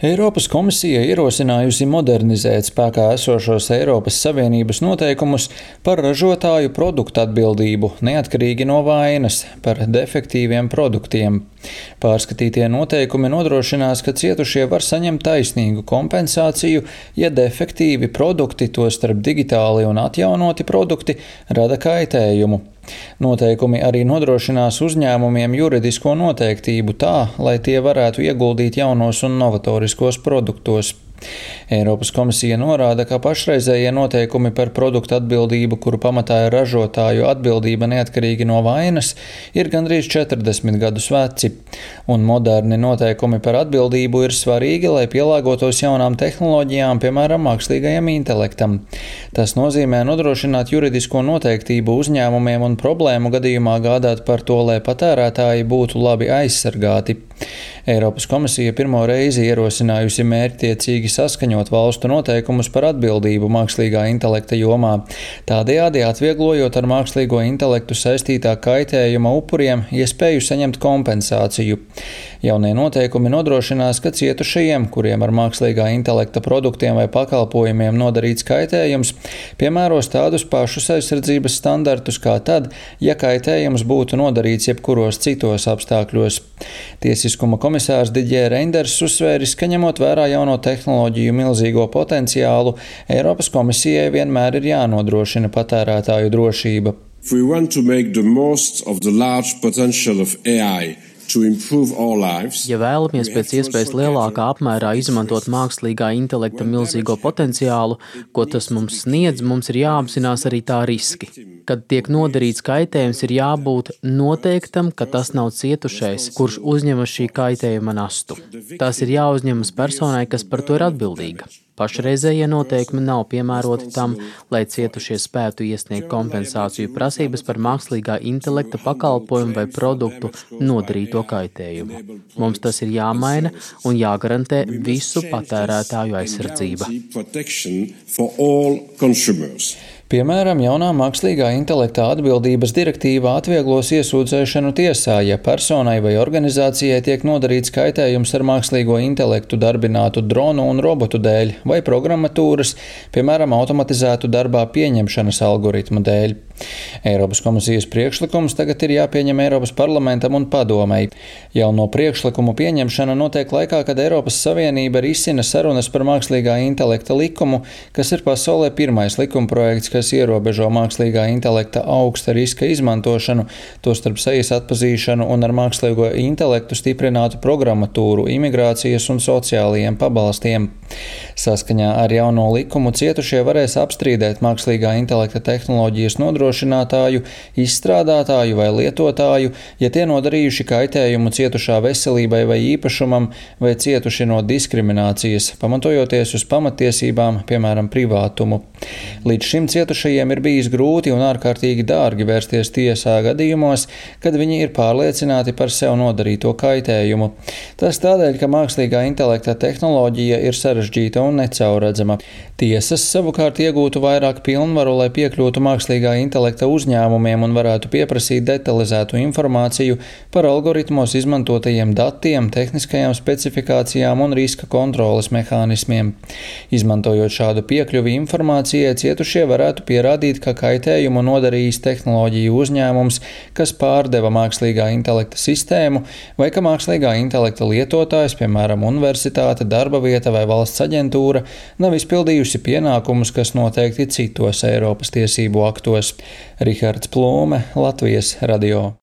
Eiropas komisija ierosinājusi modernizēt spēkā esošos Eiropas Savienības noteikumus par ražotāju produktu atbildību, neatkarīgi no vainas, par defektīviem produktiem. Pārskatītie noteikumi nodrošinās, ka cietušie var saņemt taisnīgu kompensāciju, ja defektīvi produkti, tostarp digitāli un atjaunoti produkti, rada kaitējumu. Noteikumi arī nodrošinās uzņēmumiem juridisko noteiktību tā, lai tie varētu ieguldīt jaunos un novatoriskos produktos. Eiropas komisija norāda, ka pašreizējie noteikumi par produktu atbildību, kuru pamatā ir ražotāju atbildība neatkarīgi no vainas, ir gandrīz 40 gadus veci, un moderni noteikumi par atbildību ir svarīgi, lai pielāgotos jaunām tehnoloģijām, piemēram, mākslīgajam intelektam. Tas nozīmē nodrošināt juridisko noteiktību uzņēmumiem un problēmu gadījumā gādāt par to, lai patērētāji būtu labi aizsargāti. Eiropas komisija pirmo reizi ierosinājusi mērķtiecīgi saskaņot valstu noteikumus par atbildību mākslīgā intelekta jomā, tādējādi atvieglojot ar mākslīgo intelektu saistītā kaitējuma upuriem iespēju saņemt kompensāciju. Jaunie noteikumi nodrošinās, ka cietušajiem, kuriem ar mākslīgā intelekta produktiem vai pakalpojumiem nodarīts kaitējums, piemēros tādus pašus aizsardzības standartus kā tad, ja kaitējums būtu nodarīts jebkuros citos apstākļos. Tiesiskuma komisārs Didier Reinders uzsvēris, ka ņemot vērā jauno tehnoloģiju milzīgo potenciālu, Eiropas komisijai vienmēr ir jānodrošina patērētāju drošība. If we want to make the most of the large potential of AI, ja vēlamies pēc iespējas lielākā apmērā izmantot mākslīgā intelekta milzīgo potenciālu, ko tas mums sniedz, mums ir jāapzinās arī tā riski. Kad tiek nodarīts kaitējums, ir jābūt noteiktam, ka tas nav cietušais, kurš uzņemas šī kaitējuma nastu. Tas ir jāuzņemas personai, kas par to ir atbildīga. Pašreizējie noteikumi nav piemēroti tam, lai cietušie spētu iesniegt kompensāciju prasības par mākslīgā intelekta pakalpojumu vai produktu nodarīto kaitējumu. Mums tas ir jāmaina un jāgarantē visu patērētāju aizsardzība. Piemēram, jaunā mākslīgā intelekta atbildības direktīva atvieglos iesūdzēšanu tiesā, ja personai vai organizācijai tiek nodarīts kaitējums ar mākslīgo intelektu darbinātu dronu un robotu dēļ vai programmatūras, piemēram, automatizētu darbā pieņemšanas algoritmu dēļ. Eiropas komisijas priekšlikums tagad ir jāpieņem Eiropas parlamentam un padomei. Jauno priekšlikumu pieņemšana notiek laikā, kad Eiropas Savienība risina sarunas par mākslīgā intelekta likumu, kas ir pasaulē pirmais likumprojekts, kas ierobežo mākslīgā intelekta augsta riska izmantošanu, tostarp sejas atpazīšanu un ar mākslīgo intelektu stiprinātu programmatūru, imigrācijas un sociālajiem pabalstiem. Saskaņā ar jauno likumu cietušie varēs apstrīdēt mākslīgā intelekta tehnoloģijas nodrošinātāju, izstrādātāju vai lietotāju, ja tie nodarījuši kaitējumu cietušā veselībai vai īpašumam vai cietuši no diskriminācijas, pamatojoties uz pamattiesībām, piemēram, privātumu. Līdz šim cietušajiem ir bijis grūti un ārkārtīgi dārgi vērsties tiesā gadījumos, kad viņi ir pārliecināti par sev nodarīto kaitējumu. Tas tādēļ, ka mākslīgā intelekta tehnoloģija ir sarežģīta un necaurredzama. Tiesas savukārt iegūtu vairāk pilnvaru, lai piekļūtu mākslīgā intelekta uzņēmumiem un varētu pieprasīt detalizētu informāciju par algoritmos izmantotajiem datiem, tehniskajām specifikācijām un riska kontroles mehānismiem. Izmantojot šādu piekļuvi informācijai, cietušie varētu pierādīt, ka kaitējumu nodarījis tehnoloģiju uzņēmums, kas pārdeva mākslīgā intelekta sistēmu, vai ka mākslīgā intelekta lietotājs, piemēram, universitāte, darba vieta vai valsts aģentūra, nav izpildījusi pienākumus, kas noteikti citos Eiropas tiesību aktos. Rihards Plūme, Latvijas radio.